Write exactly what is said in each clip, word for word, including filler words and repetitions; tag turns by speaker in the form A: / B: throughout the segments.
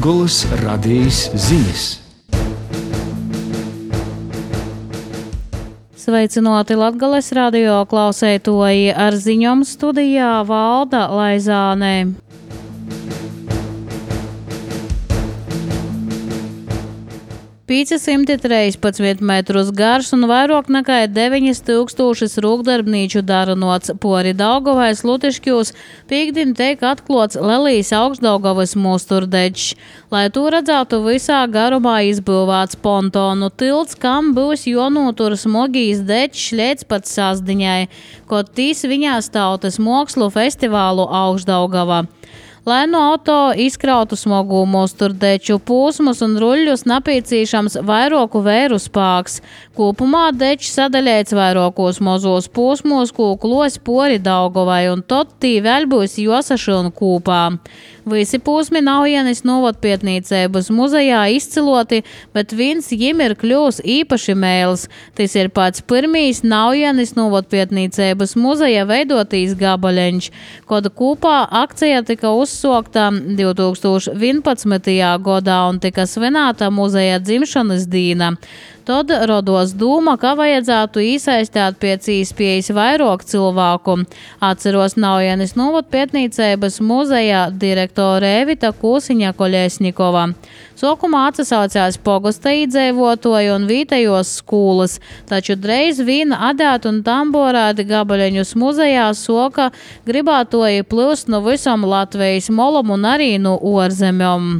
A: Latgolas radijas ziņas.
B: Sveicināti Latgales radio klausētoji, ar ziņom studijā Valda Laizāne. piecsimt trīspadsmit metrus garš un vairāk nekā deviņi tūkstoši rūkdarbnīču darunots pori Daugavas Lutiškjūs pīkdien tiek atklāts Lelijas Augšdaugavas musturdečs. Lai to redzētu visā garumā izbūvēts pontonu tilts, kam būs jānotur smogīs dečs līdz pat sasdiņai, kod tīs viņās tautas mākslu festivālu Augšdaugavā. Lai no auto izkrautu smogu musturdeču pūsmus un ruļļus napīcīšams vairāku vēru spāks. Kopumā dečs sadaļēts vairākos mozos pūsmos, ko klos pori Daugavai, un tot tī vēl būs josašana kūpā. Visi pūsmi Naujienis novadpietnīcības muzejā izciloti, bet viens jim ir kļūs īpaši mēls. Tas ir pats pirmīs Naujienis novadpietnīcības muzeja veidotīs gabaļeņš, kod kūpā akcija tika uzsokta divi tūkstoši vienpadsmitajā gadā un tika svinēta muzeja dzimšanas dīna. Tad rodos dūma, ka vajadzētu iesaistīt pēc iespējas vairāk cilvēku. Atceros Naujienis novadpietnīcības muzeja direktore Evita Kūsiņa-Koļesņikova. Sokumā atsasaucās pogosta iedzīvotoji un vietējos skolas, taču dreiz vien adēt un tamborēti gabaļeņus muzejā soka gribātoji plūst no visam Latvijas molom un arī no ārzemēm.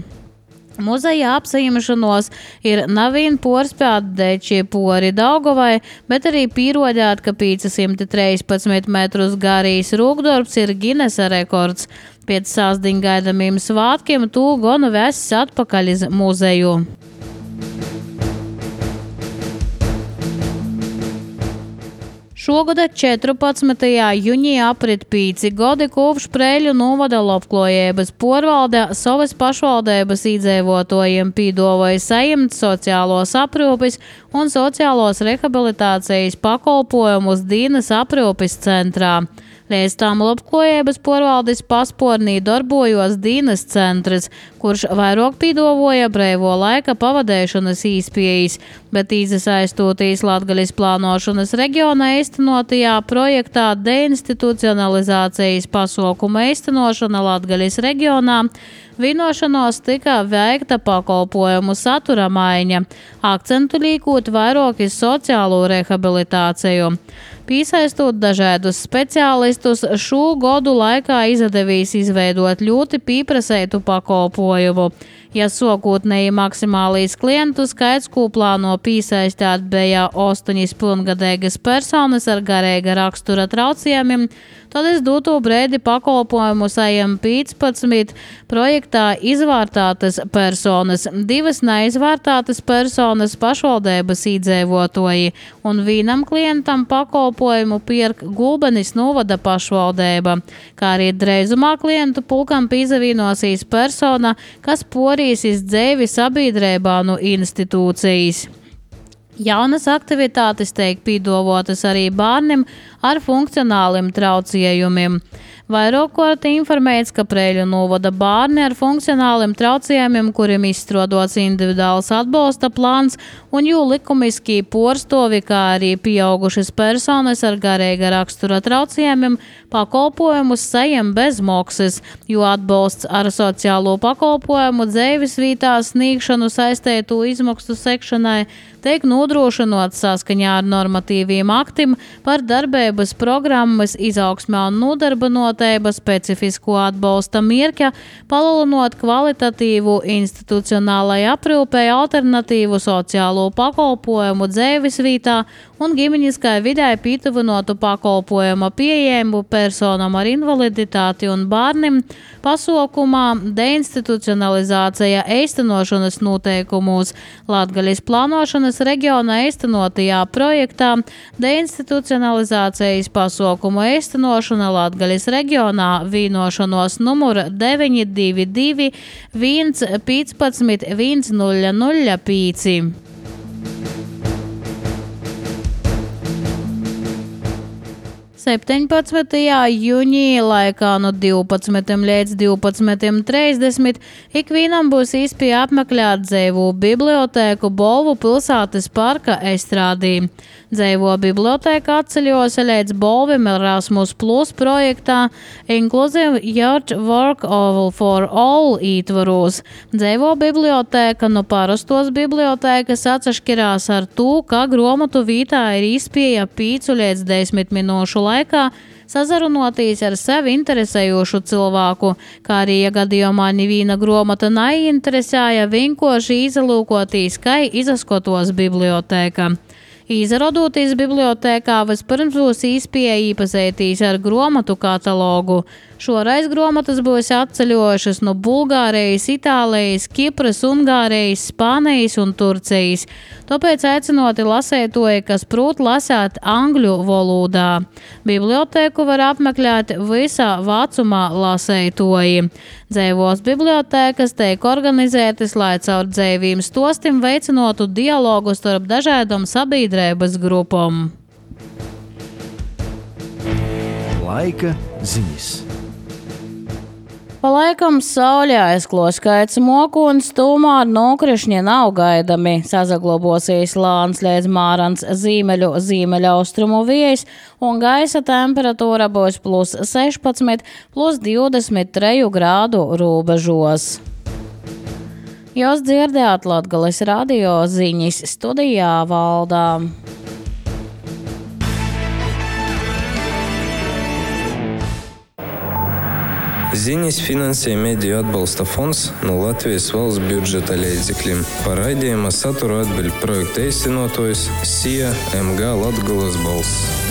B: Muzeja apsaimšanos ir nevien porspēt deči pori Daugavai, bet arī pierodēt, ka piecsimt trīspadsmit metrus garīs rūkdarbs ir Ginesa rekords. Pēc sāsdiņ gaidamiem svātkiem tū gonu vesis atpakaļ iz muzeju. Šogad četrpadsmitajā jūnijā aprit pīci godi kopš Preiļu novada labklājības porvalde savas pašvaldības iedzīvotājiem pīdavoja sajimt sociālos aprūpes un sociālos rehabilitācijas pakalpojumus dienas aprūpes centrā. Līdz tam labklājības porvaldes paspornī darbojos dienas centrs, kurš vairāk pīdavoja brīvo laika pavadēšanas īspējas, bet īsaistotīs Latgales plānošanas reģiona īstenotajā projektā deinstitucionalizācijas pasākuma īstenošana Latgales reģionā vienošanos tika veikta pakalpojumu satura maiņa, akcentu līkot vairāk iz sociālo rehabilitāciju. Piesaistot dažādus speciālistus, šo gadu laikā izdevīs izveidot ļoti pieprasētu pakalpojumu. Ja sākotnēji maksimālīs klientu skaits, ko plāno piesaistīt, bija astoņas pilngadīgas personas ar garīga rakstura traucējumiem, tad es doto brīdi pakalpojumu sajam piecpadsmit projektā izvērtātas personas, divas neizvērtātas personas pašvaldības iedzīvotāji un vienam klientam pakalpojumu pirk Gulbenes novada pašvaldība, kā arī dreizumā klientu pulkam pīzavīnosīs persona, kas porīs iz dzēvi sabiedrībā no institūcijas. Jaunas aktivitātes tiek pīdavotas arī bērniem ar funkcionāliem traucējumiem. Vairāk kārt informēts, ka Preiļu novada bērni ar funkcionāliem traucējumiem, kuriem izstrādots individuāls atbalsta plāns un jū likumiskī porstovi, kā arī pieaugušas personas ar garīga rakstura traucējumiem, pakalpojumus sajam bez maksas, jo atbalsts ar sociālo pakalpojumu dzīves vietā sniegšanu saistētu izmaksu sekšanai tiek nodrošinots saskaņā ar normatīviem aktim par darbības programmas izaugsmē un nodarbinotība specifisko atbalsta mierķa, palielinot kvalitatīvu institucionālai aprūpei alternatīvu sociālo pakalpojumu dzīves vietā un ģimeniskai vidē pītuvinotu pakalpojumu pieejamību personam ar invaliditāti un bērniem pasaukumā deinstitucionalizācija īstenošanas noteikumos Latgales plānošanas reģiona īstenotajā projektā deinstitucionalizācijas pasaukumu īstenošana Latgales reģionā vienošanos numura deviņi divi divi viens piecpadsmit viens nulle nulle pieci. septiņpadsmitajā jūnijā laikā no divpadsmitiem līdz divpadsmitiem trīsdesmit ikvienam būs iespēja apmeklēt Dzeivo bibliotēku Bolvu pilsētas parka estrādī. Dzeivo bibliotēka atceļos līdz Bolvim Erasmus Plus projektā Inclusive Youth Work for All ietvaros. Dzeivo bibliotēka no parastos bibliotēkas atsašķirās ar to, ka gromatu vītā ir iespēja pīcu līdz desmit minūšu laikā sazarunoties ar sevi interesējošu cilvēku, kā arī, ja gadījumā neviena gromata neinteresēja, vienkārši izalūkotīs, kā izaskotos bibliotēka. Izradoties bibliotēkā, vispirms būs iespēja iepazīties ar gromatu katalogu. Šoreiz gromatas būs atceļojušas no Bulgārijas, Itālijas, Kipras, Ungārijas, Spānijas un Turcijas. Tāpēc aicinoti lasētoji, kas prot lasēt angļu valodā. Bibliotēku var apmeklēt visā vecumā lasētoji. Dzeivos bibliotēkas tiek organizētas, lai caur dzeiviem stostim veicinotu dialogu starp dažādām sabiedrības grupām.
A: Laika ziņas.
B: Pa laikam saulē aizkloskaits mokuns, tomēr nokrišņi nav gaidami. Sazaglobosies lāns līdz Mārans zīmeļu zīmeļaustrumu vējs un gaisa temperatūra būs plus sešpadsmit, plus divdesmit trīs grādu robežos. Jūs dzirdējāt Latgales radio ziņas, studijā Valdā.
C: Ziņas finansē Mediju atbalsta fonds no Latvijas valsts budžeta līdzekļiem. Par raidījuma saturu atbild projekta īstenotājs S I A M G Latgales balss.